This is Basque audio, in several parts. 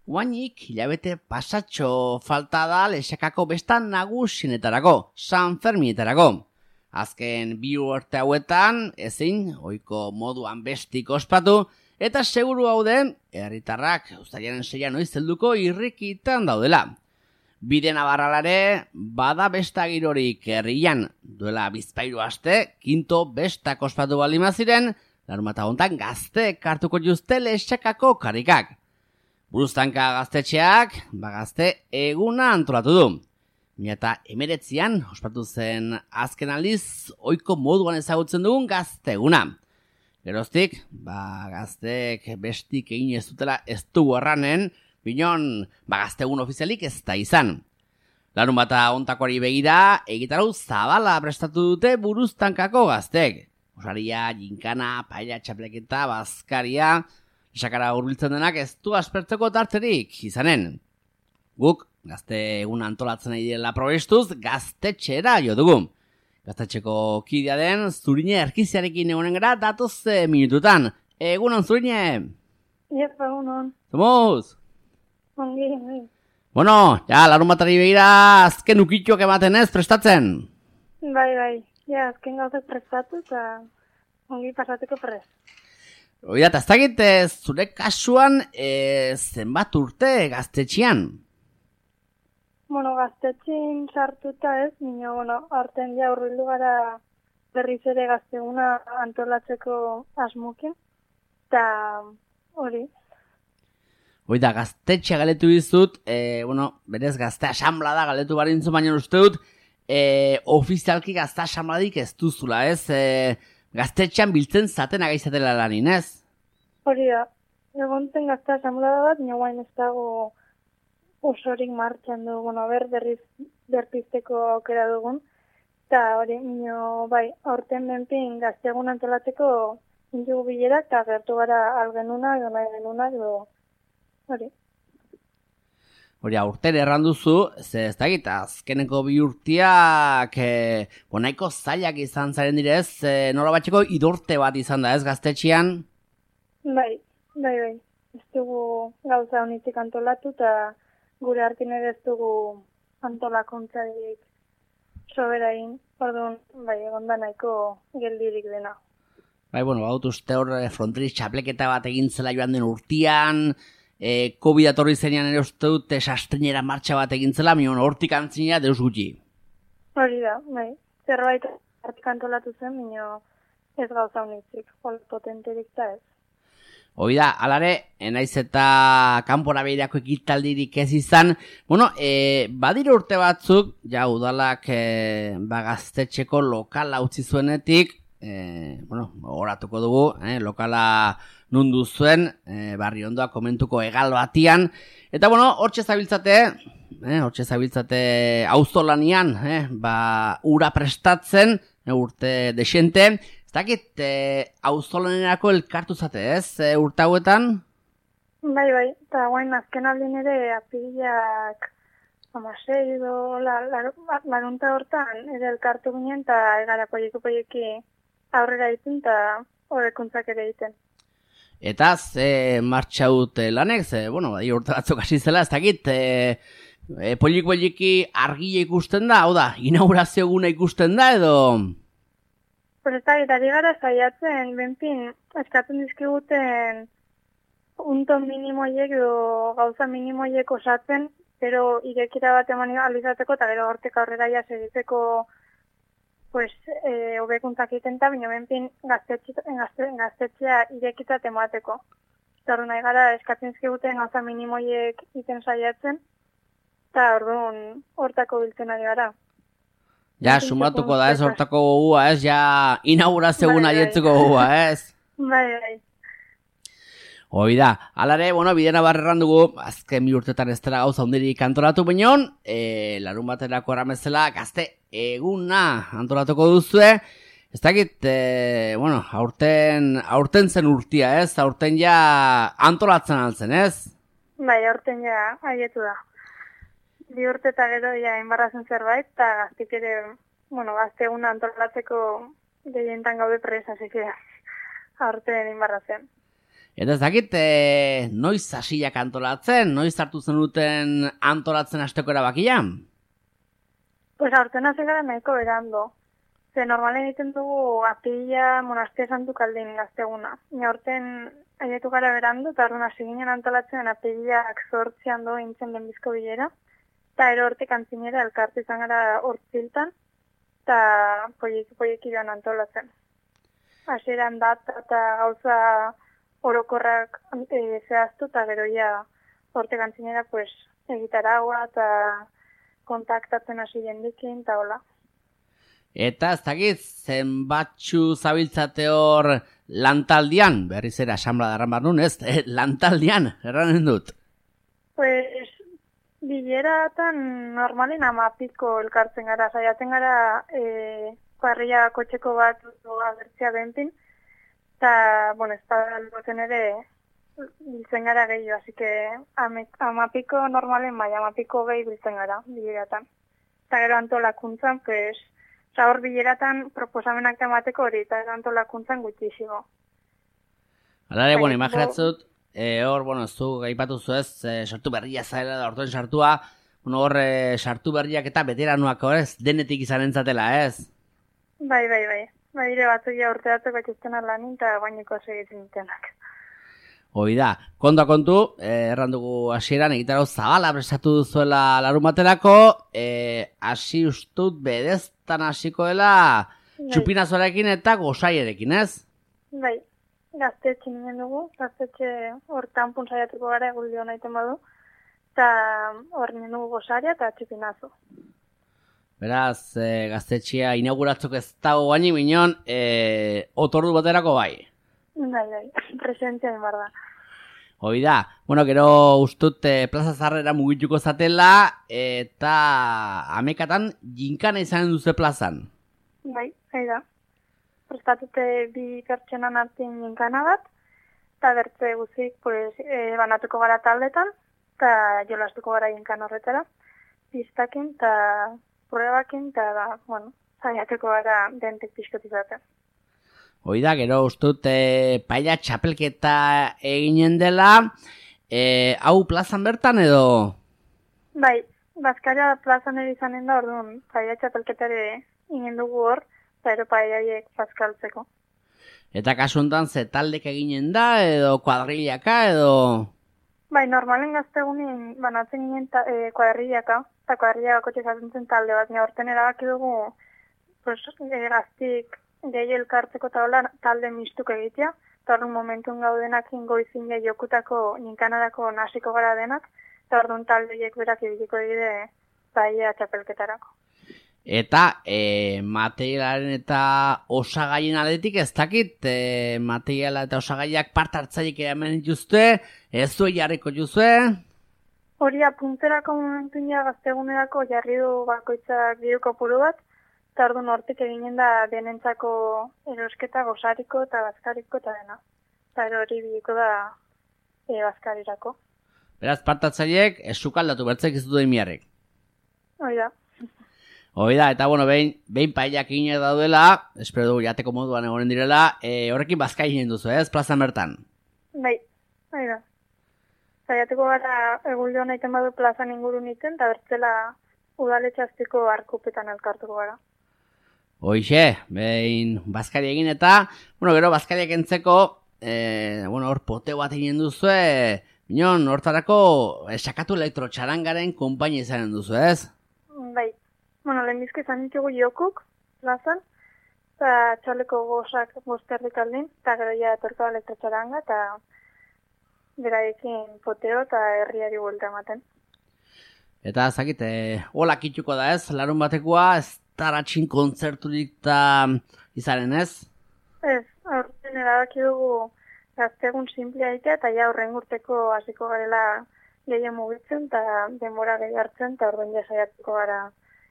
Guainik hilabete pasatxo falta da Lexakako bestan nagusienetarako, San Ferminetarako. Azken 2 urte hauetan ezin ohiko moduan bestik ospatu eta seguru haude herritarrak uztailaren 6 noiz helduko irrikitan daudela. Bide nabarralare bada besta girorik herrian duela 2 aste, kinto bestak ospatu baldin baziren, larunbata hontan gazteek hartuko dituzte Lexakako karikak. Buruztanka gaztetxeak, gazte eguna antolatu du. 2019an ospatu zen azken aldiz ohiko moduan ezagutzen dugun gazte eguna. Geroztik, gazteek bestik egin ez dutela ez dugu erranen, binon gazte egun ofizialik ez da izan. Larunbata hontakoari begira, egitarau zabala prestatu dute buruztankako gazteek. Osaria, ginkana, paella, txapleketa, bazkaria, Lexakara hurbiltzen denak ez du aspertzeko tarterik izanen. Guk, gazte egun antolatzen nahi direla probestuz, gaztetxera jo dugu. Gaztetxeko kidea den Zurine Erkiziarekin egonen gara datoz minututan. Egunon, Zurine! Iepa, egunon. Zomuz! Ongi. Bueno, larunbatari begira azken ukituak ematen ez prestatzen. Bai. Ja, azken gauzak prestatu eta ongi pasateko prest. Oida, eta ez dakit zure kasuan zenbat urte gaztetxean? Gaztetxean sartuta ez, arten ja urbildu gara berriz ere gazteguna antolatzeko asmokin, eta hori. Oida, gaztetxea galetu dizut, berez gazte asamblea da galetu barintzu, baina uste dut, ofizialki gazte asambladik ez duzula, ez? Gaztetxean biltzen zaten agaizatela lanin, ez? Hori da, egonten gazte asamblea bat, guain ez dago osorik martxan du, berriz berpizteko aukera dugun, eta hori, bai, aurten benpin gazteagun antolatzeko intugu bilerak, eta gertu gara algenunak, genuna, hori. Hori, aurten erranduzu, ez dakit, azkeneko 2 urteak nahiko zailak izan zaren direz, nola batxeko idorte bat izan da, ez gaztetxean? Bai. Ez dugu gauza honitzik antolatu, eta gure hartin ere ez dugu antolakuntzarik soberain, orduan, egon da nahiko geldirik dena. Bai, baut uste hor fronteriz txapleketa bat egin zela joan den urtean, COVID atorri zenean ere uste dut sastrinera martxa bat egin zela, hortik antzinera deus gutxi. Hori da, bai. Zerbait hartik antolatu zen, ez gauza honitzik, potenterik da ez. Hoi da, alare, naiz eta kanpora behirako ekitaldirik ez izan. Badira urte batzuk, udalak gaztetxeko lokala utzi zuenetik, horatuko dugu, lokala nundu zuen, barri ondoa komentuko egal batian. Eta hortxe zabiltzate auzolanian, ura prestatzen, urte desente. Ez dakit, auzolanerako elkartu zate, ez, urte hauetan? Bai, eta guain azken aldin ere apiriak 16 edo larunta hortan ere elkartu ginen eta egara poieki aurrera egiten eta hobekuntzak ere egiten. Eta ze martxa dute lanek, urte batzuk hasi zela, ez dakit, poieki argia ikusten da, hau da, inaugurazio eguna ikusten da edo... Ez dakit, ari gara zaiatzen, benpin, eskatzen dizkiguten punto minimoiek edo gauza minimoiek osatzen, pero irekira bat eman alizateko eta gero hortek aurrera ja segitzeko hobekuntzak egiten eta bino benpin gaztetxea irekita temateko. Eta nahi gara eskatzen dizkiguten gauza minimoiek iten saiatzen eta orduan hortako biltzen ari gara. Ja, sumatuko da ez, hortako gogua ez, ja, inaugurazio eguna dietzeko gogua ez. Bai. Hoi da, alare, bidena barreran dugu, azken 2 urtetan ez dela gauza hundirik antolatu bineon, larun baterako eramezela, gazte eguna antolatuko duzue, ez dakit, aurten zen urtia ez, aurten ja antolatzen altzen ez? Bai, aurten ja aietu da. 2 urte eta gero inbarrazen zerbait, eta gaztik ere, gazte eguna antolatzeko gehientan gaude presa, zikera, aurten inbarrazen. Eta ez dakit, noiz hasiak antolatzen, noiz hartu zenuten antolatzen hasteko erabakia? Pues aurten hasi gara nahiko berando. Ze normalen egiten dugu apirila Monastia Santu Kaldin gazteguna. Aurten ailetu gara berando, eta orduan hasi ginen antolatzen apirilak 8 do intzen lehenbizko bilera. Eta ero hortik antzinera elkartu izan gara hortziltan, eta poieki joan antolatzen. Hasieran data eta gauza orokorrak zehaztu, eta gero ja hortik antzinera pues, egitaragua eta kontaktatzen hasi jendikin, eta hola. Eta ez dakit, zenbatxu zabiltzate hor lantaldian, berriz ere asamblea darran barnun, ez? Lantaldian, erranen dut. Pues, bileratan normalen 10 elkartzen gara, saiatzen gara parrilla kotxeko bat agertzea bentin, eta, bueno, espadalboten ere biltzen gara gehiago, así que 10 normalen bai, 10 gehi biltzen gara bileratan. Eta gero antolakuntzan, pues, hor bileratan proposamenak emateko hori, eta antolakuntzan gutxísimo. Alare, bueno, imaginatzut, hor, bueno, zu gaipatu zu ez, sartu berria zaila da ortoen sartua, bueno, hor sartu berriak eta veteranoak hor ez, denetik izan entzatela, ez? Bai. Dire batzuk ja urteatzeko etxesten alanin, eta baineko segitzen ditenak. Hoi da, kontua kontu, erran dugu hasieran egitarau zabala prestatu duzuela larun baterako, hasi ustut bedeztan hasiko dela txupinazoarekin eta gosaierekin, ez? Bai, gaztetxe ninen dugu, gaztetxe hortan saiatuko gara eguldio nahiten badu, eta hor ninen dugu gosaria eta txupinazo. Beraz, gaztetxea inauguratzeko ez dago baini minon, otordu baterako bai. Bai, presentzian bar da. Hoi da, bueno, gero ustut plaza zarrera mugituko zatela, eta amekatan jinkana izanen duze plazan. Bai, da. Prestatute 2 pertsonan artean jinkana bat, eta bertze guzik pues, banatuko gara taldetan, eta jolastuko gara jinkan horretara, piztakin eta pruebakin, eta, bueno, saiatuko gara dentek pixkotizaten. Hoi da, gero ustut paella txapelketa eginen dela, hau plazan bertan edo? Bai, Baskaria plazan ere izanen da, orduan, paella txapelketare ingen dugu hor, eta ero paellaiek bazkaltzeko. Eta kasu honetan ze taldek eginen da, edo kuadrillaka, edo? Bai, normalen gaztegunin banatzen ginen kuadrillaka, eta kuadrillako txezatzen talde bat, horten erabaki dugu, pues, gaztik, gehi elkartzeko talde mistuk egitea, eta orduan momentun gaudenak ingoizin jokutako ninkanarako nasiko gara denak, eta orduan taldeek berak ibiliko dire paella txapelketarako. Eta materialaren eta osagaien aldetik ez dakit, materiala eta osagaiak part hartzaiek eramen dituzte, ez du jarriko juzue? Hori apunterako momentun ja gaztegunerako jarri du bakoitzak diru kopuru bat, eta orduan hortik eginen da denentzako erosketa gozariko eta bazkariko eta dena. Eta hori biliko da bazkarirako. Beraz, partatzaileek esukaldatu bertzek ez du miarrek. Hoi da, eta bueno, behin paellak eginak daudela, espero dugu jateko moduan egonen direla, horrekin bazka eginen duzu, ez, plazan bertan? Bai, da. Zaiateko gara eguldio nahiten badu plazan ingurun iten, eta bertzela udaletxaztiko arkupetan elkartuko gara. Hoixe, behin bazkari egin eta, bueno, gero bazkariak entzeko, hor poteo bat egin duzu, minon, hortarako sakatu elektrotxarangaren konpainia izanen duzu, ez? Bai, bueno, lehenbizko izan ditugu jokuk, plazan, eta txaleko gozak bozterrik aldin, eta gero ja etorko elektrotxaranga, eta beraiekin poteo eta herriari buelta ematen. Eta zakit, hola kitxuko da ez, larun batekoa, ez taratxin kontzerturik da izanen ez? Ez, aurten erabaki dugu gaztegun simplea egitea, eta ja horren urteko hasiko garela gehien mugitzen, eta denbora gehi hartzen, eta orduan ja saiatuko gara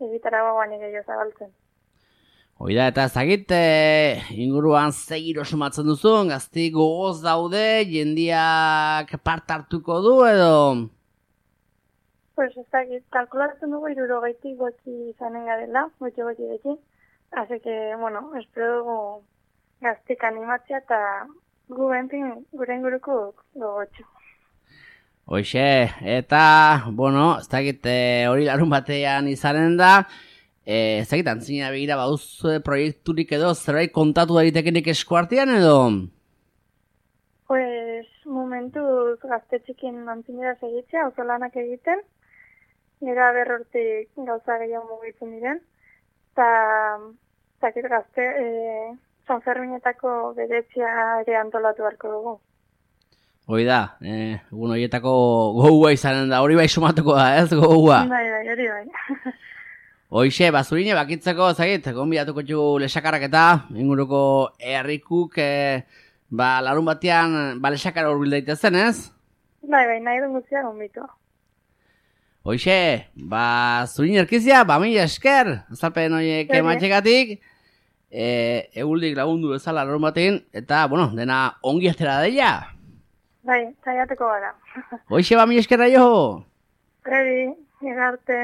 egitarago guani gehiago zabaltzen. Hoi da, eta ezagit, inguruan zegiro sumatzen duzun, gazti gogoz daude, jendiak part hartuko du edo? Pues ezagit, kalkulatzen dugu 60 gotxi izanen garela, gotxi. Así que, bueno, espero dugu gaztik animatzea eta gu bentin gure inguruko gogotxo. Hoxe, eta, bueno, ez dakit hori larun batean izanen da, ez dakit antzina begira bauz proiekturik edo zerbait kontatu daitekenik eskuartean edo? Pues, momentuz gazte txikin antzinera segitzea, oso lanak egiten, nera berrortik gauza gehiago mugitzen diren, eta zakit gazte, San Ferminetako bedetzia ere antolatu beharko dugu. Hoi da, egun horietako gogoa izanen da, hori bai sumatuko da, ez gogoa? Bai, hori bai. Hoixe, bazurine bakitzeko, zagit, gonbidatuko txu lesakarrak eta inguruko herrikuk, larun batean, lesakara urbil daitezen, ez? Bai, nahi duen guztia gonbitu. Hoixe, zurine erkizia, mila esker, azalpen horiek ematxekatik, eguldik lagundu bezala larun batean, eta, bueno, dena ongi atera daia. Bai, zaiateko gara. Hoixe, mila eskerra jo! Geri, egarte.